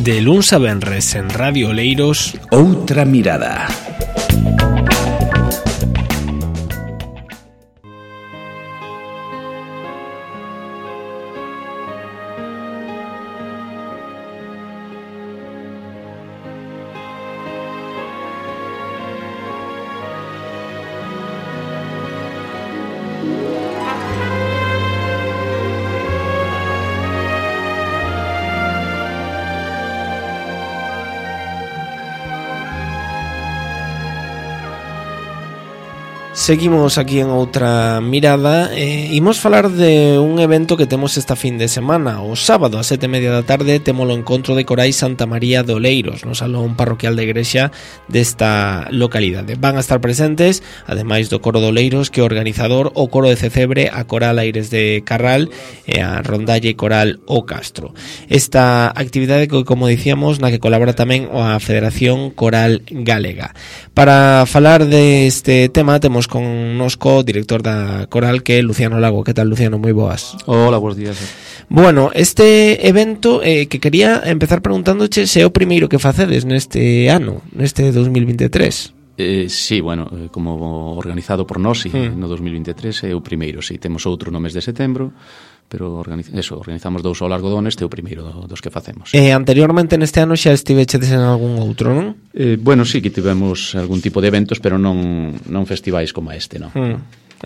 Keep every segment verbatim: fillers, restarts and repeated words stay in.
de luns a venres en Radio Oleiros, Outra Mirada. Seguimos aquí en Outra Mirada e imos falar de un evento que temos esta fin de semana. O sábado a sete e media da tarde temos o encontro de corais Santa María de Oleiros no Salón Parroquial de Igrexa desta localidade. Van a estar presentes, ademais do coro de Oleiros, que é o organizador, o coro de Cecebre, a coral Aires de Carral e a rondalle coral O Castro. Esta actividade que, como dicíamos, na que colabora tamén a Federación Coral Galega. Para falar deste tema temos con nosco director da coral, que é Luciano Lago. Que tal, Luciano? Moi boas. Hola, buenos días. Bueno, este evento eh, que quería empezar preguntándoche se é o primeiro que facedes neste ano, neste dos mil veintitrés. Eh, sí, bueno, como organizado por nós, sí, mm. no dos mil veintitrés é o primeiro, sí, temos outro no mes de setembro, pero organiz... eso, organizamos dous ao largo do ano, este é o primeiro dos que facemos. Eh, anteriormente neste ano xa estivechedes en algún outro, non? Eh, bueno, sí, que tivemos algún tipo de eventos, pero non, non festivais como este, non? Mm.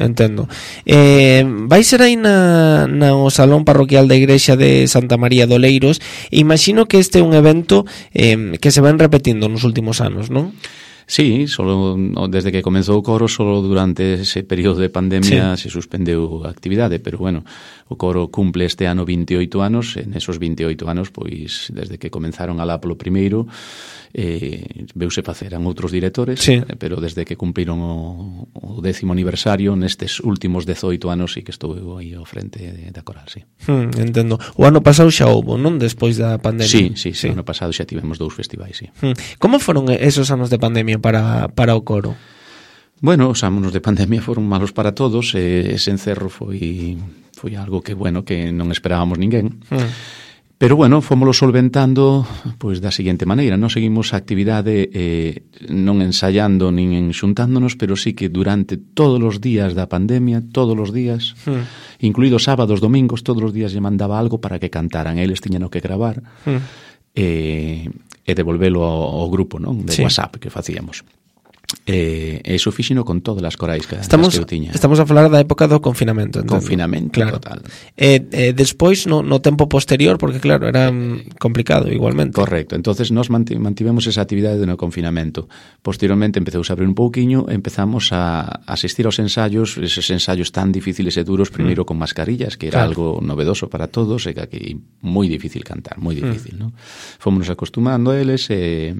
Entendo. Eh, vai ser aí na, na o Salón Parroquial da Igrexa de Santa María de Oleiros. Imagino que este é un evento eh, que se ven repetindo nos últimos anos, non? Sí, solo desde que comenzou o coro, solo durante ese período de pandemia sí. se suspendeu a actividade, pero bueno, o coro cumple este ano veintioito anos, en esos veintioito anos, pois desde que comenzaron alá polo primeiro, eh, veuse facer a outros directores, sí. eh, pero desde que cumpliron o, o décimo aniversario, nestes últimos dezoito anos, sí que estou aí ao frente da coral, sí. Hmm, entendo. O ano pasado xa houbo, non? Despois da pandemia. Sí, sí, sí, o ano pasado xa tivemos dous festivais, sí. Hmm. Como foron esos anos de pandemia para, para o coro? Bueno, os anos de pandemia foron malos para todos, e ese encerro foi foi algo que, bueno, que non esperábamos ninguén. Hmm. Pero, bueno, fómolo solventando pois da seguinte maneira. Non seguimos a actividade eh, non ensayando nin enxuntándonos, pero sí que durante todos os días da pandemia, todos os días, hmm. incluídos sábados, domingos, todos os días lle mandaba algo para que cantaran. Eles tiñan que gravar hmm. eh, e devolvelo ao, ao grupo, non, de sí. WhatsApp que facíamos. E eh, iso fixino con todas as corais que, estamos, que eu tiña. Estamos a falar da época do confinamento, entendo. Confinamento, claro. Total. E eh, eh, despois, no, no tempo posterior, porque claro, era eh, complicado igualmente. Correcto, entonces nós mantivemos esa actividade no confinamento. Posteriormente empezouse a abrir un pouquiño, empezamos a asistir aos ensayos, eses ensayos tan difíciles e duros, primeiro mm. con mascarillas, que era claro. algo novedoso para todos, e que aquí moi difícil cantar, moi difícil, mm. non? Fomos acostumando a eles e...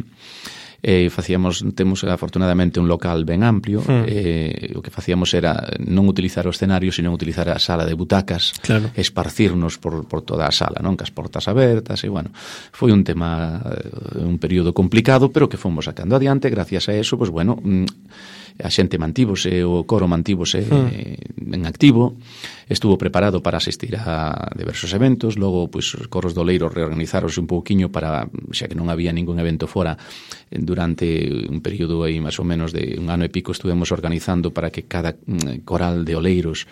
Eh, facíamos, temos afortunadamente un local ben amplio, mm. eh, o que facíamos era non utilizar o escenario, sino utilizar a sala de butacas, claro. esparcirnos por, por toda a sala, non, cas portas abertas, e bueno, foi un tema, un período complicado, pero que fomos sacando adiante. Gracias a eso, pues bueno, a xente mantívose, o coro mantívose mm. en activo, estuvo preparado para asistir a diversos eventos. Logo, pois, os coros do Oleiros reorganizáronse un pouquiño para, xa que non había ningún evento fora, durante un período aí máis ou menos de un ano e pico estuvemos organizando para que cada coral de Oleiros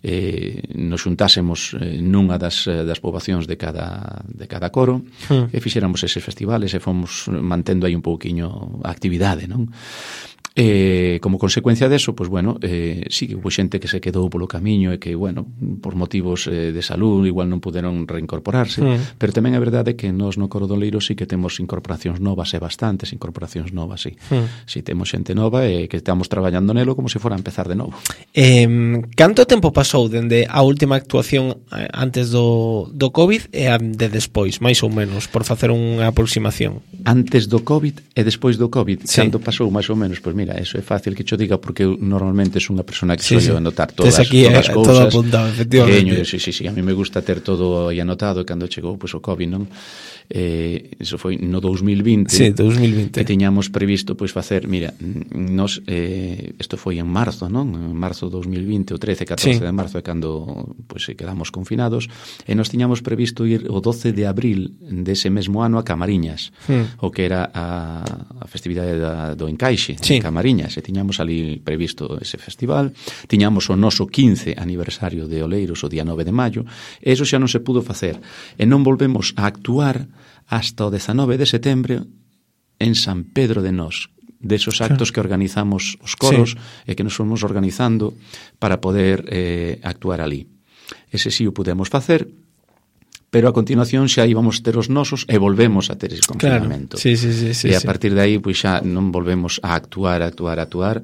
eh, nos xuntásemos eh, nunha das, das poboacións de cada, de cada coro mm. e fixéramos eses festivales e fomos mantendo aí un pouquiño a actividade, non? Eh, como consecuencia deso, pois bueno, eh, sí que houve xente que se quedou polo camiño e que, bueno, por motivos eh, de salud igual non puderon reincorporarse, mm. pero tamén é verdade que nós no Coro do Oleiro sí que temos incorporacións novas e bastantes incorporacións novas, sí. Mm. Sí, temos xente nova e que estamos traballando nelo como se fora a empezar de novo. Eh, canto tempo pasou dende a última actuación antes do, do COVID e a de despois, máis ou menos, por facer unha aproximación? Antes do COVID e despois do COVID, sí. canto pasou máis ou menos? Pois mira, mira, eso é fácil que cho diga porque eu normalmente son unha persona que sí, soy sí. anotar todas, aquí, todas as eh, cousas. Todo apuntado, efectivamente. Teño, sí, sí, sí, a mí me gusta ter todo aí anotado e cando chegou pois, o COVID, non? Eh, eso foi no dous mil vinte. Sí, dous mil vinte. Que tiñamos previsto pois facer, mira, nos eh, isto foi en marzo, non? En marzo dous mil vinte, o trece, catorce sí. de marzo é cando pois quedamos confinados, e nos tiñamos previsto ir o doce de abril dese mesmo ano a Camariñas, hmm. o que era a, a festividade da, do Encaixe, sí. Camariñas, e tiñamos ali previsto ese festival, tiñamos o noso quince aniversario de Oleiros o día nove de maio, e eso xa non se pudo facer, e non volvemos a actuar hasta o dezanove de setembro en San Pedro de Nós, desos actos claro. que organizamos os coros sí. e que nos fomos organizando para poder eh, actuar ali. Ese sí o pudemos facer, pero a continuación xa íbamos ter os nosos e volvemos a ter ese confinamento. Claro. Sí, sí, sí, sí, e a sí. partir de aí pois xa non volvemos a actuar, actuar, actuar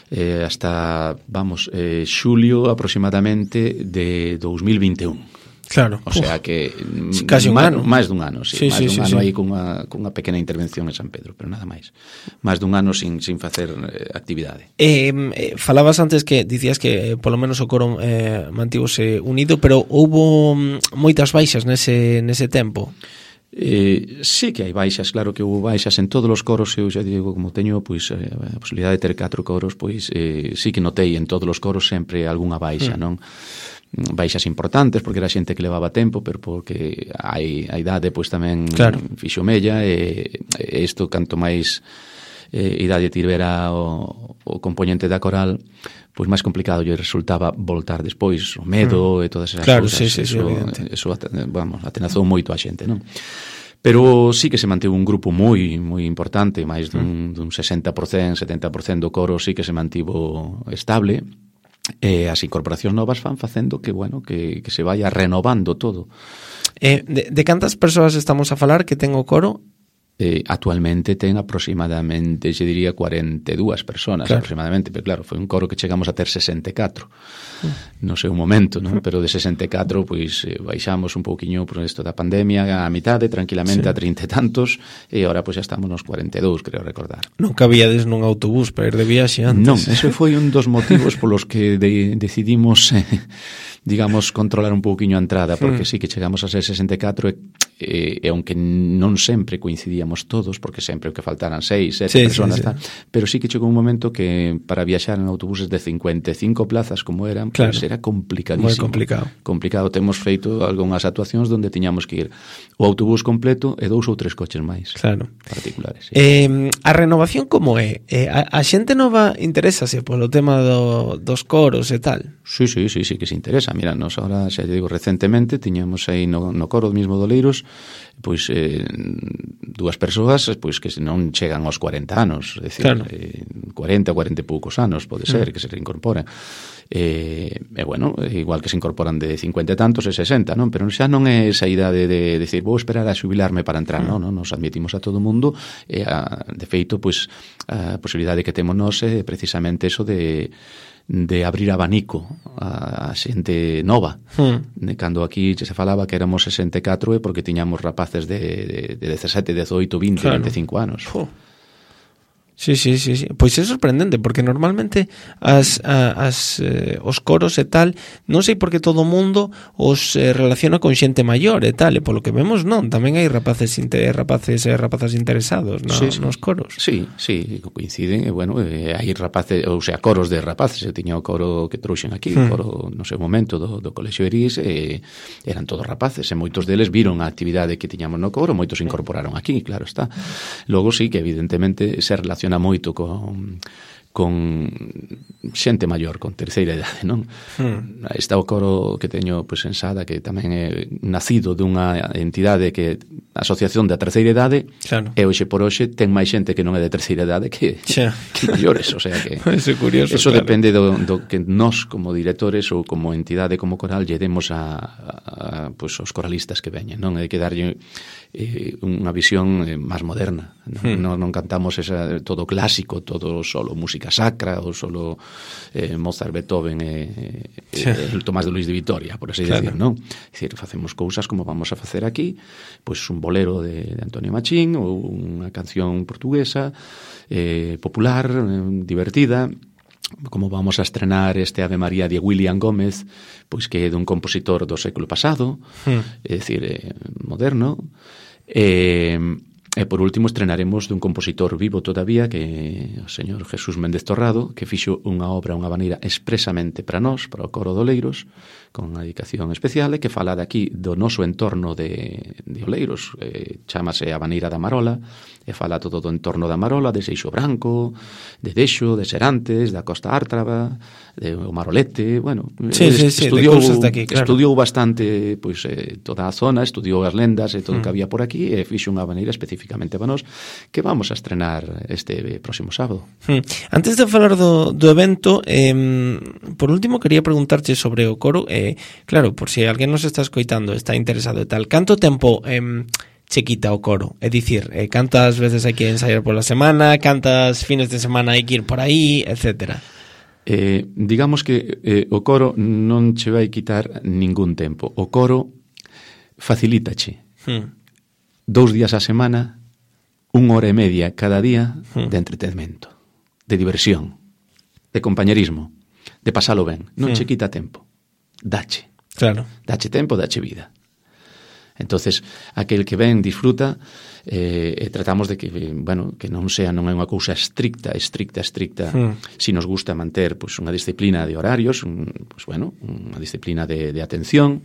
eh, hasta, vamos, eh, xulio aproximadamente de dous mil vinte e un. Claro. O sea que casi un má, ano. máis dun ano, sí, sí, máis sí, dun sí, ano sí. aí cunha, cunha pequena intervención en San Pedro, pero nada máis. Máis dun ano sin, sin facer eh, actividade. Eh, eh, falabas antes que dicías que eh, polo menos o coro eh, mantívose unido, pero houbo mm, moitas baixas nese, nese tempo. Eh, sí que hai baixas, claro que houve baixas en todos os coros, eu xa digo, como teño pois, eh, a posibilidade de ter catro coros, pois eh, sí que notei en todos os coros sempre algunha baixa, mm. non? Baixas importantes porque era xente que levaba tempo, pero porque hai a idade pois tamén claro. fixo mella e, e isto canto máis eh, idade tivera o, o componente da coral, pois máis complicado lle resultaba voltar despois, o medo mm. e todas esas claro, cousas. Sí, sí, eso, sí, eso vamos, atenazou moito a xente, non? Pero sí que se manteve un grupo moi moi importante, máis dun, mm. dun sesenta por cento, setenta por cento do coro sí que se mantivo estable. E as incorporacións novas van facendo que, bueno, que, que se vaya renovando todo. Eh, de, de cantas persoas estamos a falar que ten o coro? Eh, actualmente ten aproximadamente, se diría, cuarenta e dúas personas, claro. aproximadamente, pero claro, foi un coro que chegamos a ter sesenta e catro uh. no seu momento, non? Pero de sesenta e catro, pois, eh, baixamos un pouquiño por isto da pandemia a mitade, tranquilamente, sí. a trinta e tantos, e agora, pois, xa estamos nos cuarenta e dous, creo recordar. Non cabíades nun autobús para ir de viaxe antes. Non, ese foi un dos motivos polos que de, decidimos... Eh, digamos, controlar un pouquiño a entrada, porque mm. sí que chegamos a ser sesenta e catro e, e, e aunque non sempre coincidíamos todos, porque sempre que faltaran seis, sete sí, personas, sí, sí. pero sí que chegou un momento que para viaxar en autobuses de cincuenta e cinco plazas como eran, claro. pues era complicadísimo. Moi complicado. Complicado. Temos feito algunhas actuacións onde tiñamos que ir o autobús completo e dous ou tres coches máis. Claro. Particulares. Sí. Eh, a renovación como é? Eh, a, a xente nova interésase polo tema do, dos coros e tal? Sí, sí, sí, sí que se interesa. Mira, nos ahora, xa digo, recentemente tiñamos aí no, no coro mismo do Oleiros pois eh, dúas persoas pois que non chegan aos cuarenta anos, é dicir, claro. eh, cuarenta, cuarenta e poucos anos pode ser mm. que se reincorporen. E, eh, bueno, igual que se incorporan de cincuenta e tantos e sesenta, non? Pero xa non é esa idade de decir, vou esperar a xubilarme para entrar, mm. non? non? Nos admitimos a todo o mundo e, a, de feito, pois, a posibilidade que temos nós é precisamente eso de de abrir abanico a, a xente nova. Hmm. Cando aquí se falaba que éramos sesenta e catro é porque tiñamos rapaces de, de, de dezasete, dezoito, vinte, claro. veinticinco anos. Oh. Sí, sí, sí, sí. Pois é sorprendente, porque normalmente as, a, as, eh, os coros e tal, non sei por que todo o mundo os eh, relaciona con xente maior e tal, e polo que vemos non, tamén hai rapaces inter, rapaces e rapazas interesados no, sí, sí. nos coros. Sí, sí, coinciden, e bueno, eh, hai rapaces, ou sea, coros de rapaces, eu tiña o coro que trouxen aquí, hmm. o coro, no seu momento, do, do Colexio Eris, e eran todos rapaces, e moitos deles viron a actividade que tiñamos no coro, moitos se incorporaron aquí, claro está. Logo sí que evidentemente se relaciona moito con con xente maior, con terceira idade, non? Hmm. Está o coro que teño pois, en Sada, que tamén é nacido dunha entidade que a Asociación da Terceira Idade, claro. e hoxe por hoxe ten máis xente que non é de terceira idade que, que maiores, o sea que eso, curioso, eso claro. depende do, do que nós como directores ou como entidade, como coral, lle demos a, a, pois, os coralistas que veñen, non? Hai que darlle eh, unha visión eh, máis moderna, non? Hmm. non, non cantamos esa, todo clásico, todo solo música sacra ou solo eh, Mozart, Beethoven e eh, sí. eh, el Tomás de Luis de Vitoria, por así claro. decir, non? É dicir, facemos cousas como vamos a facer aquí, pois un bolero de, de Antonio Machín ou unha canción portuguesa eh, popular, eh, divertida, como vamos a estrenar este Ave María de William Gómez, pois que é dun compositor do século pasado, hmm. é dicir, eh, moderno. E, e por último estrenaremos dun compositor vivo todavía, que é o señor Jesús Méndez Torrado, que fixo unha obra, unha maneira expresamente para nós, para o Coro de Oleiros, con unha dedicación especial, e que fala de aquí do noso entorno de, de Oleiros, eh, chamase A Baneira da Marola, e fala todo do entorno da Marola, de Seixo Branco, de Dexo, de Serantes, da Costa Ártraba, de o Marolete, bueno, sí, sí, sí, estudiou, de aquí, claro. estudiou bastante pois, eh, toda a zona, estudiou as lendas e todo o mm. que había por aquí, e fixo unha baneira especificamente para nós, que vamos a estrenar este próximo sábado. Mm. Antes de falar do, do evento, eh, por último, quería preguntarche sobre o coro, eh, claro, por si alguén nos está escoitando, está interesado e tal, canto tempo... Eh, che quita o coro? É dicir, eh, cantas veces hai que ensaiar pola semana, cantas fines de semana hai que ir por aí, etcétera. Eh, digamos que eh, o coro non che vai quitar ningún tempo. O coro facilítache hmm. dous días a semana, unha hora e media cada día hmm. de entretenimento, de diversión, de compañerismo, de pasalo ben. Non hmm. che quita tempo. Dache. Claro. Dache tempo, dache vida. Entonces, aquel que ven disfruta, eh, e tratamos de que, bueno, que non sea, non é unha cousa estricta, estricta, estricta, mm. si nos gusta manter pues, unha disciplina de horarios, un, pues, bueno, unha disciplina de, de atención,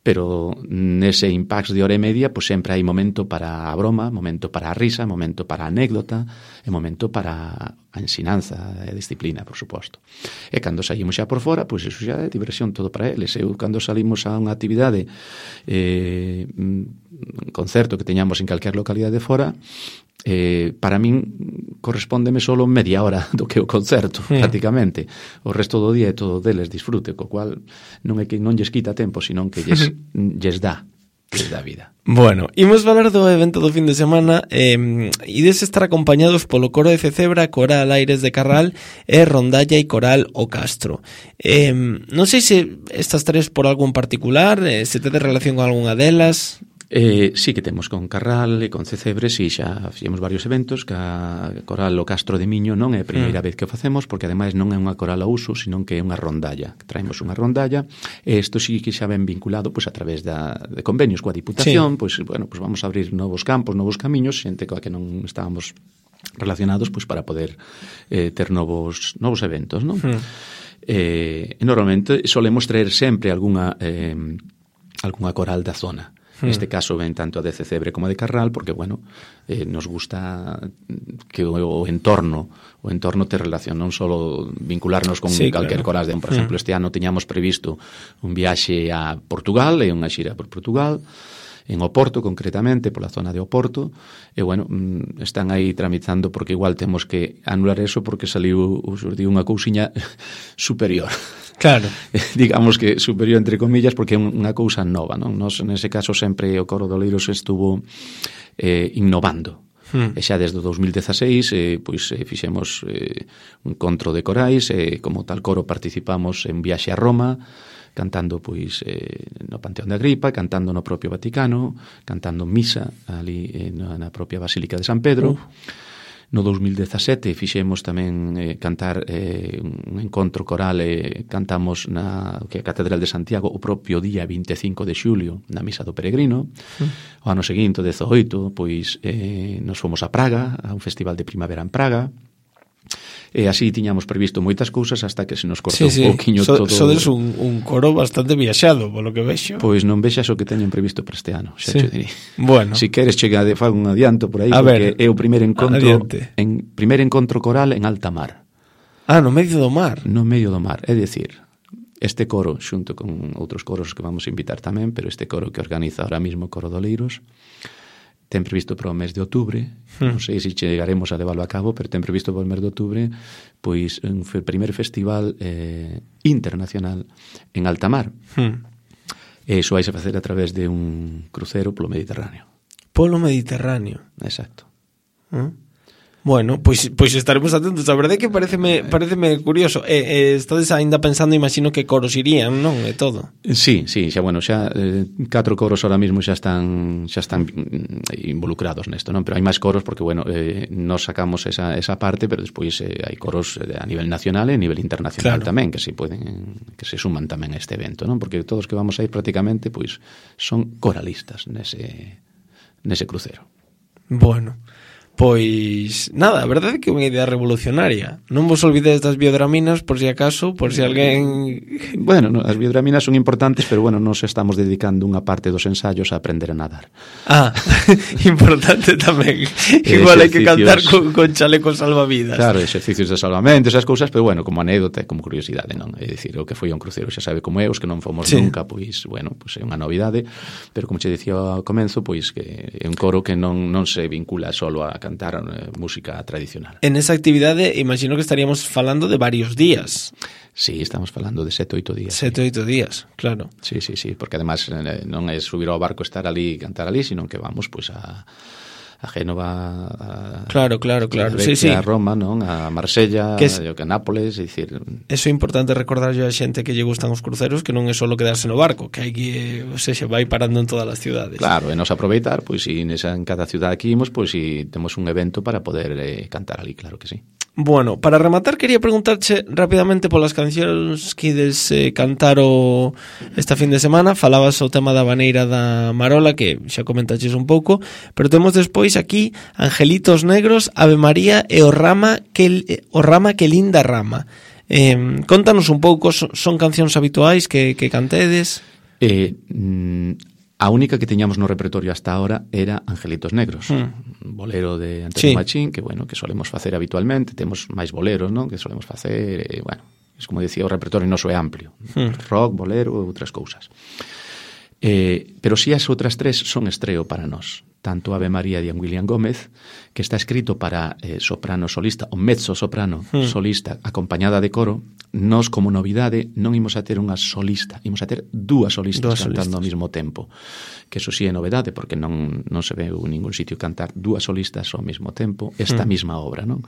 pero nese impact de hora e media, pues sempre hai momento para a broma, momento para a risa, momento para a anécdota, e momento para a ensinanza e disciplina, por suposto. E cando saímos xa por fora, pois pues, iso xa é diversión todo para eles. Eu, cando salimos a unha actividade, eh, un concerto que teñamos en calquer localidade de fora, eh, para min correspóndeme solo media hora do que o concerto, sí. prácticamente. O resto do día é todo deles disfrute, co cual non é que non lles quita tempo, senón que lles, lles dá, lles dá vida. Bueno, imos falar do evento do fin de semana. eh, ides estar acompañados polo Coro de Cecebra, Coral Aires de Carral e Rondalla e Coral O Castro. Eh, non sei se estas tres por algo en particular, eh, se tedes relación con algunha delas. Eh, sí que temos con Carral e con Cecebre, si sí, xa fixemos varios eventos, que a Coral O Castro de Miño non é a primeira mm. vez que o facemos, porque ademais non é unha coral a uso, senón que é unha rondalla, que traemos unha rondalla, e isto sí que xa ven vinculado pois, a través da, de convenios coa Diputación, sí. pois, bueno, pois vamos a abrir novos campos, novos camiños, xente coa que non estábamos relacionados pois, para poder eh, ter novos, novos eventos, non? Mm. Eh, e normalmente solemos traer sempre algunha, eh, algunha coral da zona. Neste caso ven tanto a de Cecebre como a de Carral, porque, bueno, eh, nos gusta que o, o entorno o entorno te relación, non só vincularnos con sí, calquer claro. coral. Por exemplo, este ano teñamos previsto un viaxe a Portugal, e unha xira por Portugal, en Oporto concretamente, pola zona de Oporto, e, bueno, están aí tramitando, porque igual temos que anular eso porque saliu, digo, unha cousiña superior. Claro. Digamos que superior entre comillas, porque é unha cousa nova, non? Nos, nese caso, sempre o Coro de Oleiros estuvo eh, innovando. Hmm. E xa desde o dos mil dezaseis eh, pois, eh, fixemos eh, un encontro de corais, e eh, como tal coro participamos en viaxe a Roma, cantando pois eh, no Panteón de Agripa, cantando no propio Vaticano, cantando misa ali eh, na propia Basílica de San Pedro. Uh. No dos mil dezasete fixemos tamén eh, cantar eh, un encontro coral, e eh, cantamos na que a Catedral de Santiago o propio día vinte e cinco de xulio na Misa do Peregrino. Mm. O ano seguinte, o dezaoito, pois eh, nos fomos a Praga, a un festival de primavera en Praga. E así tiñamos previsto moitas cousas hasta que se nos cortou sí, sí. un pouquiño so, todo. Sodes un, un coro bastante viaxado, polo que vexo. Pois non vexas o que teñen previsto para este ano, xa sí. che diría. Bueno. Si queres chegar de fago un adianto por aí, a porque ver, é o primeiro encontro en primeiro encontro coral en alta mar. Ah, no medio do mar. No medio do mar, é dicir, este coro xunto con outros coros que vamos a invitar tamén, pero este coro que organiza ahora mismo o Coro de Oleiros ten previsto para o mes de outubro, hmm. non sei se chegaremos a leválo a cabo, pero ten previsto para o mes de outubro, pois un primeiro festival eh, internacional en alta mar. Hmm. E iso vai se facer a través de un crucero polo Mediterráneo. Polo Mediterráneo. Exacto. ¿Mm? Bueno, pois, pois estaremos atentos. A verdade é que pareceme, pareceme curioso. E, e estades aínda pensando, imagino que coros irían, non? E todo. Sí, sí, xa, bueno, xa eh, catro coros ahora mismo xa están xa están involucrados nesto, non? Pero hai máis coros porque, bueno, eh, nos sacamos esa, esa parte, pero despois eh, hai coros a nivel nacional e a nivel internacional, claro, tamén, que se poden, que se suman tamén a este evento, non? Porque todos que vamos a ir prácticamente, pois, son coralistas nese, nese crucero. Bueno, pois nada, a verdade é que é unha idea revolucionaria. Non vos olvidedes das biodraminas por si acaso, por si alguén... Bueno, no, as biodraminas son importantes, pero bueno, nos estamos dedicando unha parte dos ensayos a aprender a nadar. Ah, importante tamén. Igual hai que cantar con, con chalecos salvavidas. Claro, exercicios de salvamento, esas cousas, pero bueno, como anécdota e como curiosidade, non? É dicir, o que foi un crucero xa sabe como é, os que non fomos sí. nunca, pois, bueno, pois é unha novidade, pero como che dicía ao comenzo, pois que é un coro que non, non se vincula solo a cantar eh, música tradicional. En esa actividade, imagino que estaríamos falando de varios días. Sí, estamos falando de sete, oito días. Sete, sí. oito días, claro. Sí, sí, sí, porque además eh, non é subir ao barco, estar ali e cantar ali, sino que vamos pois a a Génova, a, claro, claro, claro. a, sí, sí, sí. a Roma, non? A Marsella, que es, a Nápoles, é dicir... Eso é importante recordarlle a xente que lle gustan os cruceros, que non é só quedarse no barco, que hai que, o sea, vai parando en todas as ciudades. Claro, e nos aproveitar, pois, si nesa, en cada ciudad que imos, pois, si temos un evento para poder eh, cantar ali, claro que sí. Bueno, para rematar quería preguntarche rapidamente polas cancións que ides eh, cantar o esta fin de semana. Falabas o tema da Baneira da Marola, que xa comentaches un pouco, pero temos despois aquí Angelitos Negros, Ave María e o Rama que, o Rama que linda rama. Eh, contanos un pouco, son, son cancións habituais que, que cantedes? Eh, mm, a única que teñamos no repertorio hasta ahora era Angelitos Negros, mm. un bolero de Antonio sí. Machín, que bueno, que solemos facer habitualmente. Temos máis boleros, non? Que solemos facer, e, bueno, es como decía, o repertorio noso é amplio, mm. rock, bolero e outras cousas. Eh, pero si as outras tres son estreo para nós, tanto Ave María de William Gómez, que está escrito para eh, soprano solista, o mezzo soprano mm. solista acompañada de coro. Nós, como novidade, non imos a ter unha solista, imos a ter dúas solistas dúas cantando solistas. Ao mesmo tempo, que eso sí é novedade, porque non, non se ve en ningún sitio cantar dúas solistas ao mesmo tempo esta mm. mesma obra, non?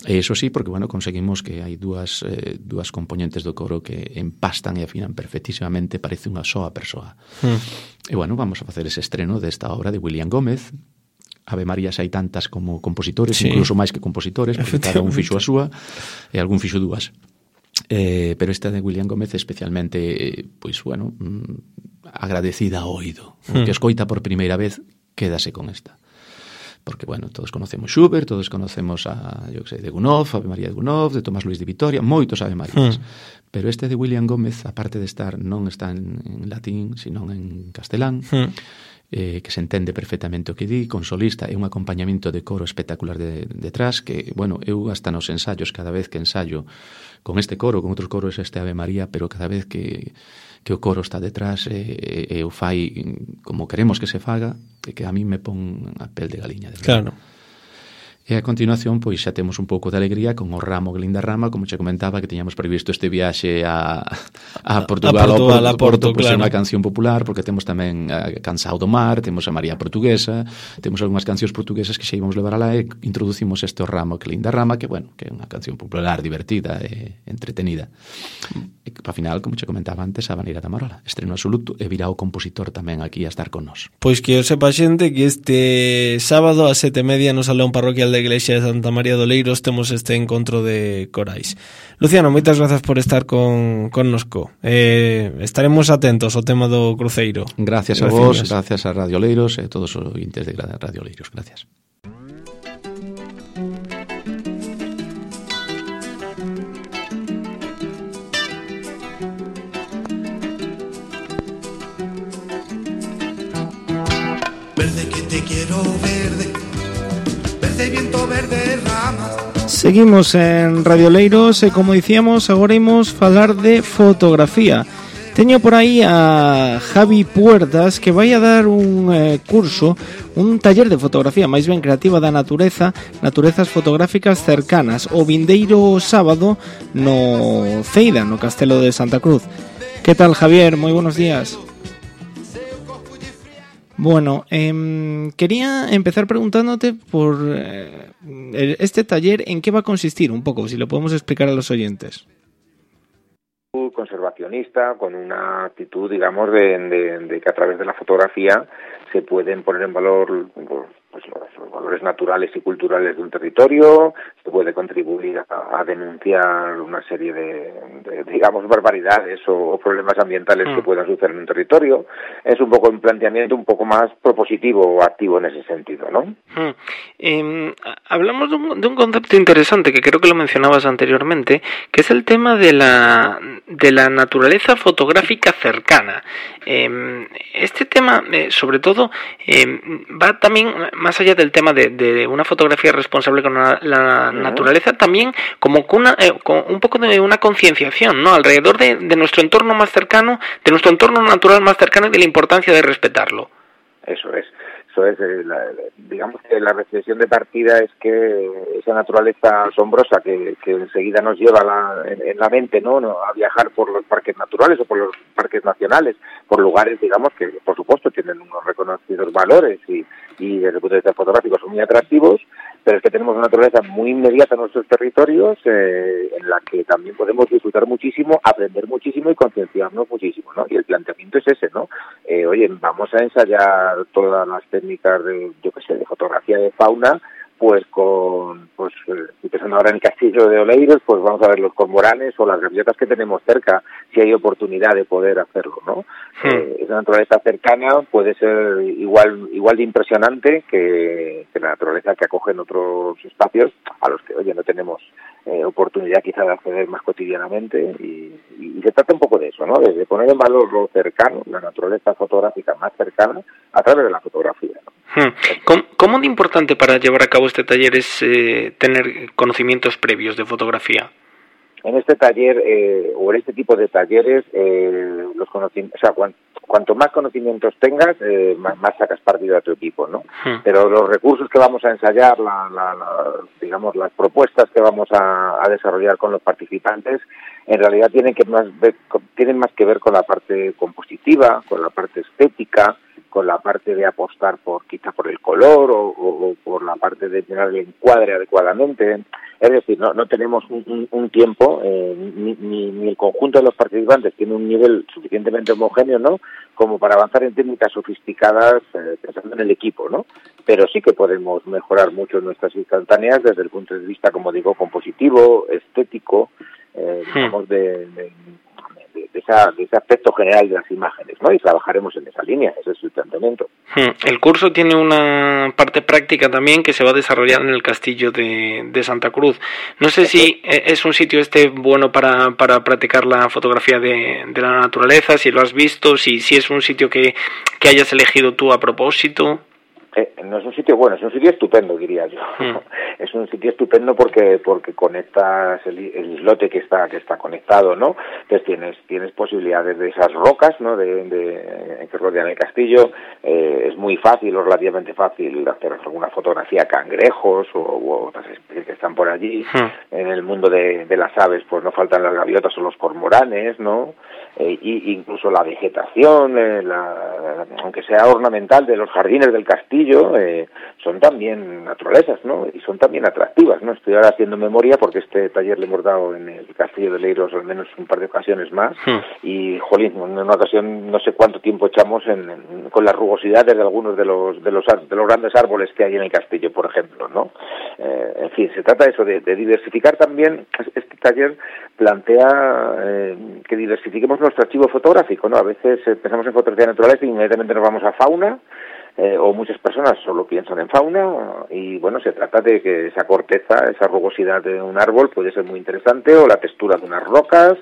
E eso sí, porque, bueno, conseguimos que hai dúas, eh, dúas componentes do coro que empastan e afinan perfectísimamente, parece unha soa persoa. Mm. E, bueno, vamos a facer ese estreno desta obra de William Gómez. Ave Marías hai tantas como compositores, sí. incluso máis que compositores, porque cada un fixo a súa e algún fixo dúas. Eh, pero esta de William Gómez especialmente, eh, pois, bueno, mm, agradecida ao oído. Mm. Que escoita por primeira vez, quédase con esta. Porque, bueno, todos conocemos Schubert, todos conocemos a, yo que sei, de Gounod, Ave María de Gounod, de Tomás Luis de Vitoria, moitos Ave Marías. Mm. Pero este de William Gómez, aparte de estar, non está en, en latín, sino en castelán, mm. Eh, que se entende perfectamente o que di, con solista e un acompañamento de coro espectacular de, detrás, que, bueno, eu hasta nos ensayos, cada vez que ensayo con este coro, con outros coros este Ave María, pero cada vez que, que o coro está detrás e, e, e o fai como queremos que se faga, e que a mí me pon a pel de galiña. De claro. E a continuación, pois xa temos un pouco de alegría con o Ramo que linda rama, como che comentaba, que teñamos previsto este viaxe a, a Portugal, a Portugal, a Porto, a Porto, pois claro. É unha canción popular, porque temos tamén a Cansao do Mar, temos a María Portuguesa, temos algunhas cancións portuguesas que xa íbamos levar alá e introducimos este o Ramo que linda rama, que, bueno, que é unha canción popular, divertida e entretenida. E que, para final, como che comentaba antes, a Baneira da Marola, estreno absoluto, e virá o compositor tamén aquí a estar con nós. Pois que o sepa xente que este sábado a sete e media no Salón Parroquial da Iglesia de Santa María de Oleiros temos este encontro de corais. Luciano, moitas grazas por estar con connosco. Eh, estaremos atentos ao tema do cruceiro. Gracias a vos, gracias a Radio Oleiros e a todos os ointes de Radio Oleiros. Gracias. Verde que te quiero verde, verde viento, verde ramas. Seguimos en Radio Oleiros e, como dicíamos, agora imos falar de fotografía. Teño por aí a Javi Puertas, que vai a dar un eh, curso, un taller de fotografía máis ben creativa da natureza, naturezas fotográficas cercanas, o vindeiro sábado no Ceida, no Castelo de Santa Cruz. Que tal, Javier? Moi buenos días. Bueno, eh, quería empezar preguntándote por eh, este taller, ¿en qué va a consistir un poco? Si lo podemos explicar a los oyentes. Conservacionista, con una actitud, digamos, de, de, de que a través de la fotografía se pueden poner en valor pues, los, los valores naturales y culturales de un territorio, se puede contribuir a, a denunciar una serie de, de digamos, barbaridades o, o problemas ambientales mm. que puedan suceder en un territorio. Es un poco un planteamiento un poco más propositivo o activo en ese sentido, ¿no? Mm. Eh, hablamos de un, de un concepto interesante que creo que lo mencionabas anteriormente, que es el tema de la de la naturaleza fotográfica cercana. Eh, este tema, eh, sobre todo, eh, va también más allá del tema de, de una fotografía responsable con la, la uh-huh. naturaleza, también como con, una, eh, con un poco de una concienciación, ¿no? Alrededor de, de nuestro entorno más cercano, de nuestro entorno natural más cercano y de la importancia de respetarlo. Eso es. Eso es, eh, la, digamos que la reflexión de partida es que esa naturaleza asombrosa que, que enseguida nos lleva la, en, en la mente, ¿no? ¿no? a viajar por los parques naturales o por los parques nacionales, por lugares, digamos, que por supuesto tienen unos reconocidos valores y, y desde el punto de vista fotográfico son muy atractivos, pero es que tenemos una naturaleza muy inmediata en nuestros territorios eh, en la que también podemos disfrutar muchísimo, aprender muchísimo y concienciarnos muchísimo, ¿no? Y el planteamiento es ese, ¿no? Eh, oye, vamos a ensayar todas las técnicas de, yo qué sé, de fotografía de fauna, pues con, pues, estoy pensando ahora en el castillo de Oleiros, pues vamos a ver los cormoranes o las gaviotas que tenemos cerca, si hay oportunidad de poder hacerlo, ¿no? Sí. Eh, esa naturaleza cercana puede ser igual igual de impresionante que, que la naturaleza que acoge en otros espacios a los que, oye, no tenemos eh, oportunidad quizá de acceder más cotidianamente y, y, y se trata un poco de eso, ¿no? De, de poner en valor lo cercano, la naturaleza fotográfica más cercana a través de la fotografía, ¿no? ¿Cómo, ¿Cómo de importante para llevar a cabo este taller es eh, tener conocimientos previos de fotografía? En este taller, eh, o en este tipo de talleres, eh, los conocimientos, o sea, cuan, cuanto más conocimientos tengas, eh, más, más sacas partido a tu equipo, ¿no? Hmm. Pero los recursos que vamos a ensayar, la, la, la, digamos, las propuestas que vamos a, a desarrollar con los participantes, en realidad tienen que más ver, tienen más que ver con la parte compositiva, con la parte estética, con la parte de apostar por quizá por el color o, o, o por la parte de tener el encuadre adecuadamente. Es decir, no, no tenemos un, un, un tiempo, eh, ni, ni, ni el conjunto de los participantes tiene un nivel suficientemente homogéneo, ¿no?, como para avanzar en técnicas sofisticadas eh, pensando en el equipo, ¿no? Pero sí que podemos mejorar mucho nuestras instantáneas desde el punto de vista, como digo, compositivo, estético, eh, digamos, de... de De, de, esa, de ese aspecto general de las imágenes, ¿no? Y trabajaremos en esa línea, ese es el planteamiento. El curso tiene una parte práctica también que se va a desarrollar en el castillo de, de Santa Cruz. No sé si es un sitio este bueno para, para practicar la fotografía de, de la naturaleza, si lo has visto, si, si es un sitio que, que hayas elegido tú a propósito. Eh, no es un sitio bueno, es un sitio estupendo, diría yo. Mm. Es un sitio estupendo porque porque conectas el, el islote que está que está conectado, ¿no? Entonces tienes tienes posibilidades de esas rocas, ¿no? De, de que rodean el castillo. Eh, es muy fácil o relativamente fácil hacer alguna fotografía cangrejos o u otras especies que están por allí. Mm. En el mundo de, de las aves, pues no faltan las gaviotas o los cormoranes, ¿no? Eh, y incluso la vegetación, eh, la, aunque sea ornamental, de los jardines del castillo. Eh, son también naturalezas, ¿no? Y son también atractivas, ¿no? Estoy ahora haciendo memoria porque este taller le hemos dado en el Castillo de Oleiros al menos un par de ocasiones más hmm. y, jolín, en una ocasión no sé cuánto tiempo echamos en, en, con las rugosidades de algunos de los de los de los grandes árboles que hay en el castillo, por ejemplo, ¿no? Eh, en fin, se trata de eso, de, de diversificar también. Este taller plantea eh, que diversifiquemos nuestro archivo fotográfico, ¿no? A veces eh, pensamos en fotografía natural y inmediatamente nos vamos a fauna. Eh, o muchas personas solo piensan en fauna y bueno, se trata de que esa corteza, esa rugosidad de un árbol puede ser muy interesante, o la textura de unas rocas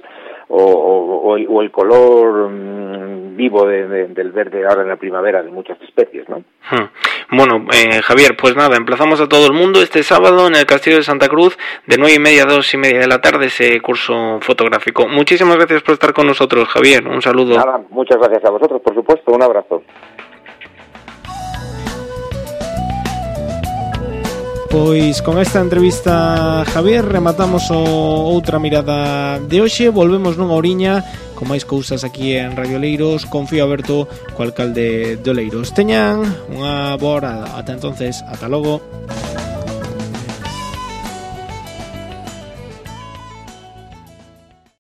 o, o, o, el, o el color mmm, vivo de, de, del verde ahora en la primavera de muchas especies, ¿no? Hmm. Bueno, eh, Javier, pues nada, emplazamos a todo el mundo este sábado en el Castillo de Santa Cruz de nueve y media a dos y media de la tarde ese curso fotográfico. Muchísimas gracias por estar con nosotros, Javier, un saludo. Nada, muchas gracias a vosotros, por supuesto, un abrazo. Pois con esta entrevista, Javier, rematamos o outra mirada de hoxe. Volvemos nunha oriña con máis cousas aquí en Radio Oleiros. Confío aberto co alcalde de Oleiros. Teñan unha boa hora. Ata entonces, ata logo.